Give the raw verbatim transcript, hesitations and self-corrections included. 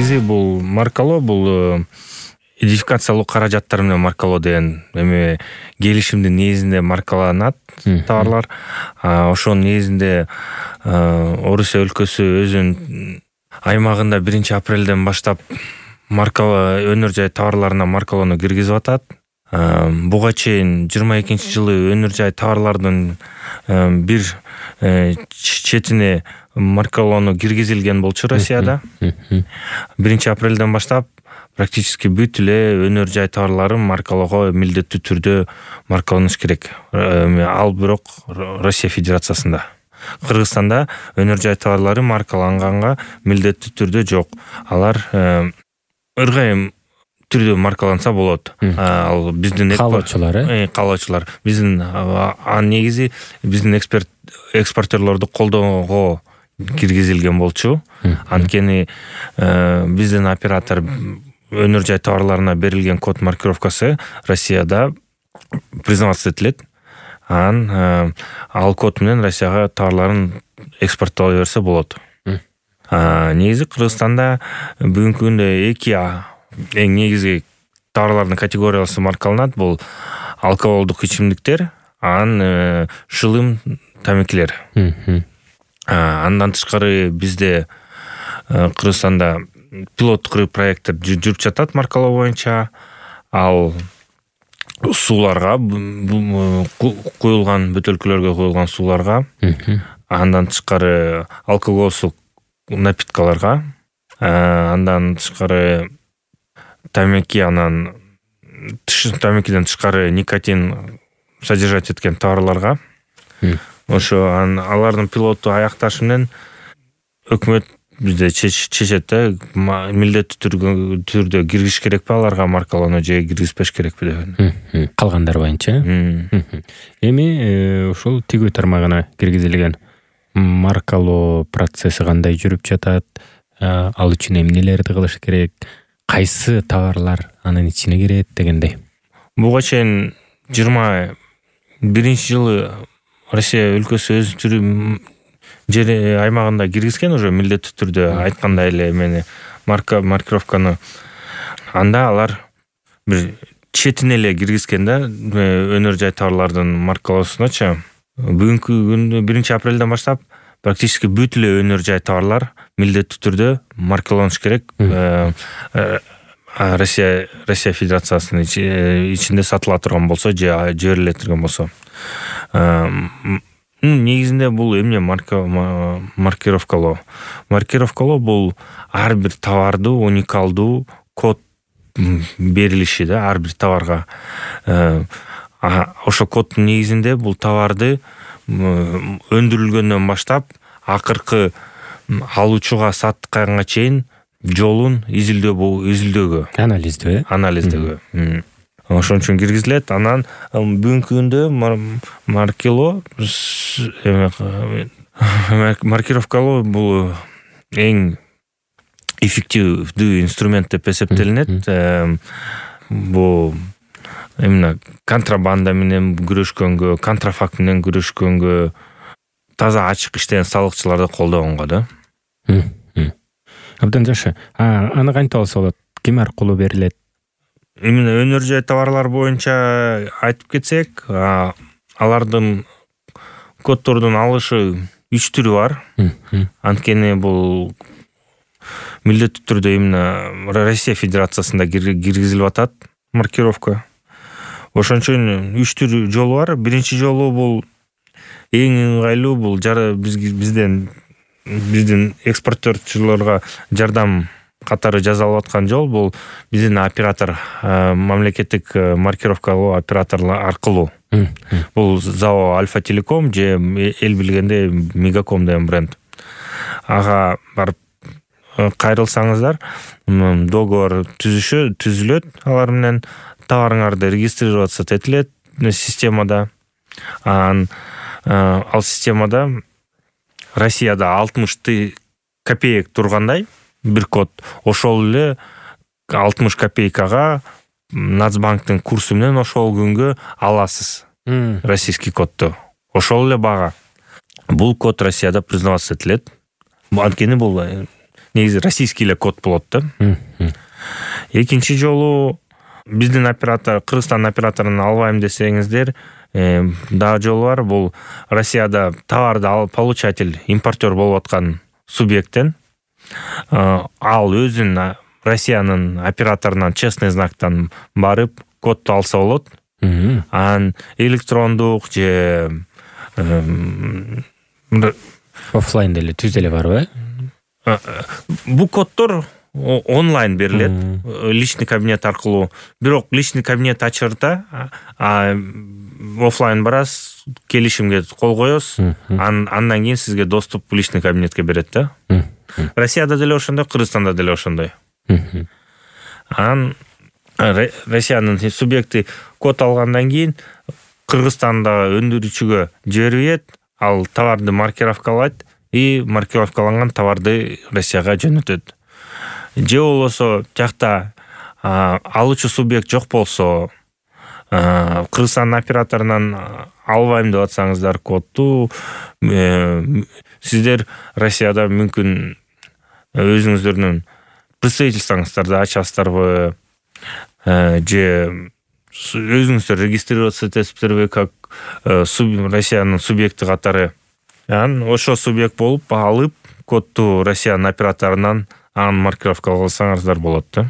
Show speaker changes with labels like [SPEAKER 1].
[SPEAKER 1] негизи бул маркалоо бул идентификациялуу каражаттар менен маркалоо деген эме келишимдин негизинде маркаланат товарлар. Ошонун негизинде Орусия өлкөсү өзүнүн аймагында биринчи апрелден баштап маркала өнөр жай товарларына маркалоону киргизип атат. Буга чейин жыйырма экинчи жылы өнөр жай товарлардын бир четине маркалоону киргизилген болчу Россияда. биринчи апрелден баштап практически бүт эле өнөр жай товарларын маркалоого милдеттүү түрдө маркаланыш керек. Ал бирок Россия Федерациясында. Кыргызстанда өнөр жай товарлары маркаланганга милдеттүү түрдө жок. Алар ыргайым түрдө маркаланса болот. Ал биздин
[SPEAKER 2] каалоочулар,
[SPEAKER 1] э, каалоочулар. Биздин ан негизи биздин эксперт экспортерлорду колдоого киргизилген болчу. Анткени биздин оператор өнөр жай товарларына берилген код маркировкасы Россияда признаваться этилет. Ан ал код менен Россияга товарларын экспорттоло берсе болот. Негизи Кыргызстанда бүгүнкү күндө эки эң негизги товарлардын категориясы маркаланат. Бул алкоголдук ичимдиктер, анан шылым тамекилер. Андан тышкары бизде Кыргызстанда пилоттук проекттер жүрүп жатат маркалоо боюнча. Ал сууларга, куюлган бөтөлкөлөргө куюлган сууларга, андан тышкары алкоголсуз напиткаларга, андан тышкары тамеки, анан тамекиден тышкары никотин содержать эткен товарларга. Ошо алардын пилотту аякташы менен өкмөт бизде чечет да, милдеттүү түрдө киргизиш керекпи аларга маркалоону же киргизбеш керекпи деп.
[SPEAKER 2] Калгандар боюнча. Эми ушул тигүү тармагына киргизилген маркалоо процесси кандай жүрүп жатат? Ал үчүн эмнелерди кылыш керек? Кайсы товарлар анын ичине кирет дегендей.
[SPEAKER 1] Буга чейин жыйырма биринчи жылы Россия өлкөсү өз түрү жер аймагында киргизген уже милдеттүү түрдө айткандай эле мени марка маркировканы. Анда алар бир четине эле киргизген да өнөр жай товарлардын маркалоосуначы. Бүгүнкү күндө биринчи апрелден баштап практически бүт эле өнөр жай товарлар милдеттүү түрдө маркаланыш керек. Россия Россия Федерациясынын ичинде сатыла турган болсо же жибериле турган болсо. Негизинде бул эмне маркировкалоо. Маркировкалоо бул ар бир товарду уникалдуу код берилиши да ар бир товарга. Ошо коддун негизинде бул товарды өндүрүлгөндөн баштап акыркы алуучуга сатканга чейин жолун изилдөө изилдөөгө,
[SPEAKER 2] анализдөө,
[SPEAKER 1] анализдөөгө. Ошон үчүн киргизилет. Анан бүгүнкү күндө маркалоо маркировкалоо бул эң эффективдүү инструмент деп эсептелинет. Бул именно контрабанда менен күрөшкөнгө, контрафакт менен күрөшкөнгө, таза ачык иштеген салыкчыларды колдогонго да.
[SPEAKER 2] Абдан жакшы. Аны кантип алса болот? Ким аркылуу берилет?
[SPEAKER 1] Именно өнөр жай товарлар боюнча айтып кетсек, алардын коддордун алышы үч түрү бар. Анткени бул милдеттүү түрдө именно Россия Федерациясында киргизилип атат маркировка. Ошон үчүн үч түр жолу бар. Биринчи жолу бул эң ыңгайлуу, бул бизден биздин экспортерчуларга жардам катары жасалып аткан жол бул биздин оператор, мамлекеттик маркировкалоо операторлор аркылуу. Бул ЗАО Альфа Телеком же эл билгенде Мегаком деген бренд. Ага барып кайрылсаңыздар, договор түзүшө түзүлөт алар менен, товарыңарды регистрироваться этилет системада. Ал системада Россияда алтымыш копеек тургандай бир код, ошол эле алтымыш копейкага Нацбанктын курсу менен ошол күнгө аласыз. Российский кодду. Ошол эле бага. Бул код Россияда признаваться этилет. Анткени бул негизи российский эле код болот да. Экинчи жолу биздин оператор, Кыргызстан операторун албайм десеңиздер, дагы жолу бар. Бул Россияда товарды алып получатель, импортер болуп аткан субъекттен ал өзүн Россиянын операторунан честный знактан барып кодду алса болот. Анан электрондук же
[SPEAKER 2] оффлайн деле түз деле барбы?
[SPEAKER 1] Бул коддор онлайн берилет, личный кабинет аркылуу. Бирок личный кабинет ачырда оффлайн барасыз, келишимге кол коесуз, андан кийин сизге доступ личный кабинетке берет да. Россияда деле ошондой, Кыргызстанда деле ошондой. Анан Россиянын субъекти код алгандан кийин Кыргызстандагы өндүрүүчүгө жиберет, ал товарды маркировкалайт и маркировкаланган товарды Россияга жөнөтөт. Же болбосо жакта алуучу субъект жок болсо, Кыргызстан операторунан албайм деп атсаңыздар кодду, сиздер Россияда мүмкүн өзүңүздөрдүн представительствоңуздарды ачасыздарбы, же өзүңүздөр регистрироваться этесиздерби как Россиянын субъекти катары. Анан ошо субъект болуп алып кодду Россиянын операторунан анын маркировка кылсаңыздар болот да.